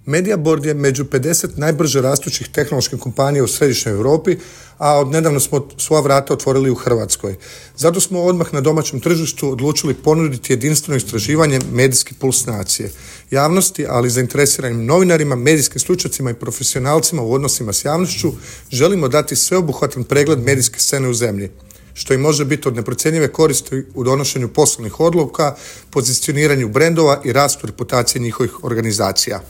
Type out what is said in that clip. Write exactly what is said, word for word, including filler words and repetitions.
Mediaboard je među pedeset najbrže rastućih tehnoloških kompanija u središnjoj Europi, a odnedavno smo svoja vrata otvorili u Hrvatskoj. Zato smo odmah na domaćem tržištu odlučili ponuditi jedinstveno istraživanje Medijski puls nacije. Javnosti, ali i zainteresiranim novinarima, medijskim stručnjacima i profesionalcima u odnosima s javnošću želimo dati sveobuhvatan pregled medijske scene u zemlji, što im može biti od neprocjenjive koristi u donošenju poslovnih odluka, pozicioniranju brendova i rastu reputacije njihovih organizacija.